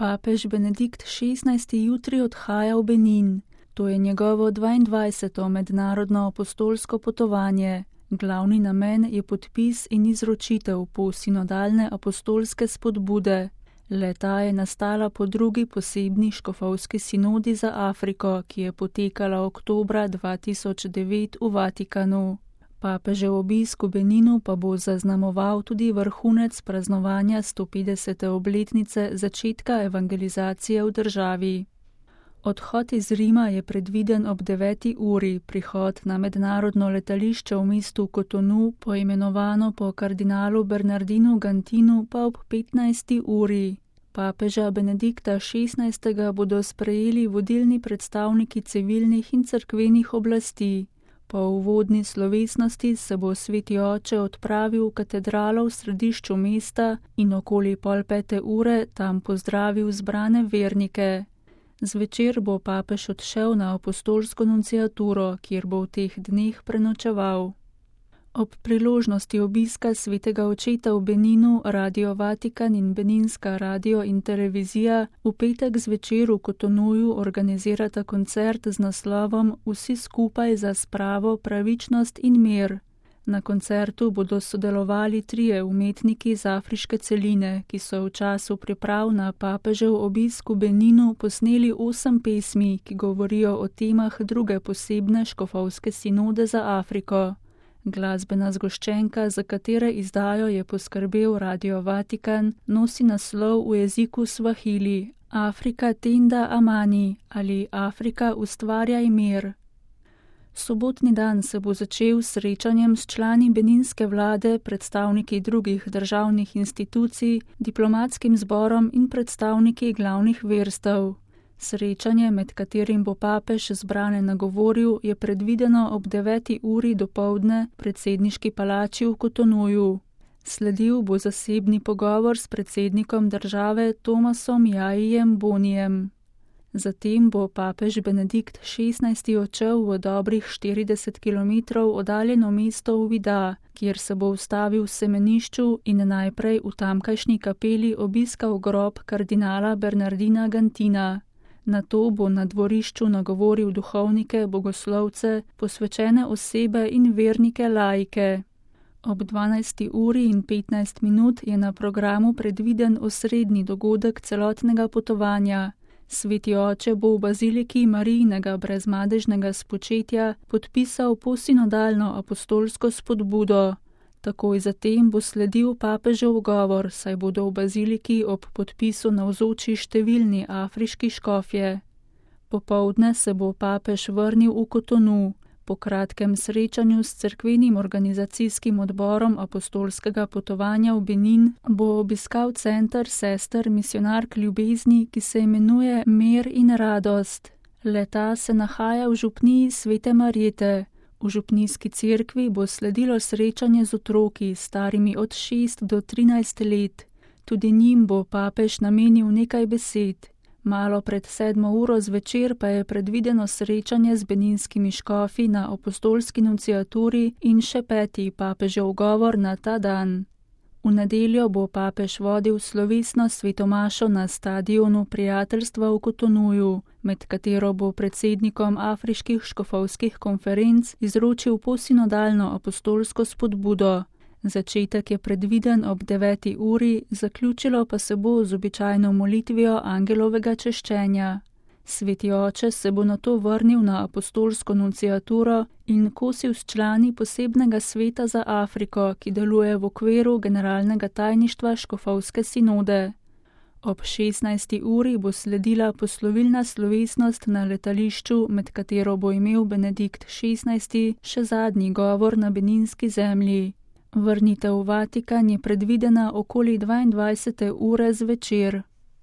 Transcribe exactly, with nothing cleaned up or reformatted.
Papež Benedikt šestnajsti jutri odhaja v Benin. To je njegovo dvaindvajseto mednarodno apostolsko potovanje. Glavni namen je podpis in izročitev posinodalne apostolske spodbude. Le-ta je nastala po drugi posebni škofovski sinodi za Afriko, ki je potekala oktobra dva tisoč devet v Vatikanu. Papežev obisk v Beninu pa bo zaznamoval tudi vrhunec praznovanja sto petdesete obletnice začetka evangelizacije v državi. Odhod iz Rima je predviden ob deveti uri, prihod na mednarodno letališče v mestu Kotonu, poimenovano po kardinalu Bernardinu Gantinu, pa ob petnajsti uri. Papeža Benedikta šestnajstega bodo sprejeli vodilni predstavniki civilnih in cerkvenih oblasti. Po uvodni slovesnosti se bo sveti oče odpravil v katedralo v središču mesta in okoli pol pete ure tam pozdravil zbrane vernike. Zvečer bo papež odšel na apostolsko nunciaturo, kjer bo v teh dneh prenočeval. Ob priložnosti obiska svetega očeta v Beninu Radio Vatikan in Beninska radio in televizija v petek zvečer v Kotonuju organizirata koncert z naslovom Vsi skupaj za spravo, pravičnost in mir. Na koncertu bodo sodelovali trije umetniki z afriške celine, ki so v času priprav na papežev obisk v Beninu posneli osem pesmi, ki govorijo o temah druge posebne škofovske sinode za Afriko. Glasbena zgoščenka, za katere izdajo je poskrbel Radio Vatikan, nosi naslov v jeziku svahili Afrika tenda amani ali Afrika ustvarjaj mir. Sobotni dan se bo začel s srečanjem s člani beninske vlade, predstavniki drugih državnih institucij, diplomatskim zborom in predstavniki glavnih verstev. Srečanje, med katerim bo papež zbrane nagovoril, je predvideno ob deveti uri dopoldne v predsedniški palači v Kotonuju. Sledil bo zasebni pogovor s predsednikom države Tomasom Jajijem Bonijem. Zatem bo papež Benedikt šestnajsti odšel v dobrih štirideset kilometrov oddaljeno mesto Uvida, kjer se bo ustavil v semenišču in najprej v tamkajšnji kapeli obiskal grob kardinala Bernardina Gantina. Nato bo na dvorišču nagovoril duhovnike, bogoslovce, posvečene osebe in vernike laike. Ob dvanajsti uri in petnajst minut je na programu predviden osrednji dogodek celotnega potovanja. Sveti oče bo v baziliki Marijinega brezmadežnega spočetja podpisal posinodalno apostolsko spodbudo. Takoj zatem bo sledil papežev govor, saj bodo v baziliki ob podpisu navzoči številni afriški škofje. Popoldne se bo papež vrnil v Kotonu. Po kratkem srečanju s cerkvenim organizacijskim odborom apostolskega potovanja v Benin bo obiskal center sester misionark ljubezni, ki se imenuje Mir in radost. Le-ta se nahaja v župniji Svete Marjete. V župnijski cerkvi bo sledilo srečanje z otroki, starimi od šest do trinajst let. Tudi njim bo papež namenil nekaj besed. Malo pred sedmo uro zvečer pa je predvideno srečanje z beninskimi škofi na apostolski nunciaturi in še peti papežev govor na ta dan. V nedeljo bo papež vodil slovesno svetomašo na stadionu prijateljstva v Kotonuju, med katero bo predsednikom afriških škofovskih konferenc izročil posinodalno apostolsko spodbudo. Začetek je predviden ob deveti uri, zaključilo pa se bo z običajno molitvijo angelovega češčenja. Sveti oče se bo nato vrnil na apostolsko nunciaturo in kosil s člani posebnega sveta za Afriko, ki deluje v okviru generalnega tajništva škofovske sinode. Ob šestnajsti uri bo sledila poslovilna slovesnost na letališču, med katero bo imel Benedikt šestnajsti še zadnji govor na beninski zemlji. Vrnitev v Vatikan je predvidena okoli dvaindvajsete ure zvečer.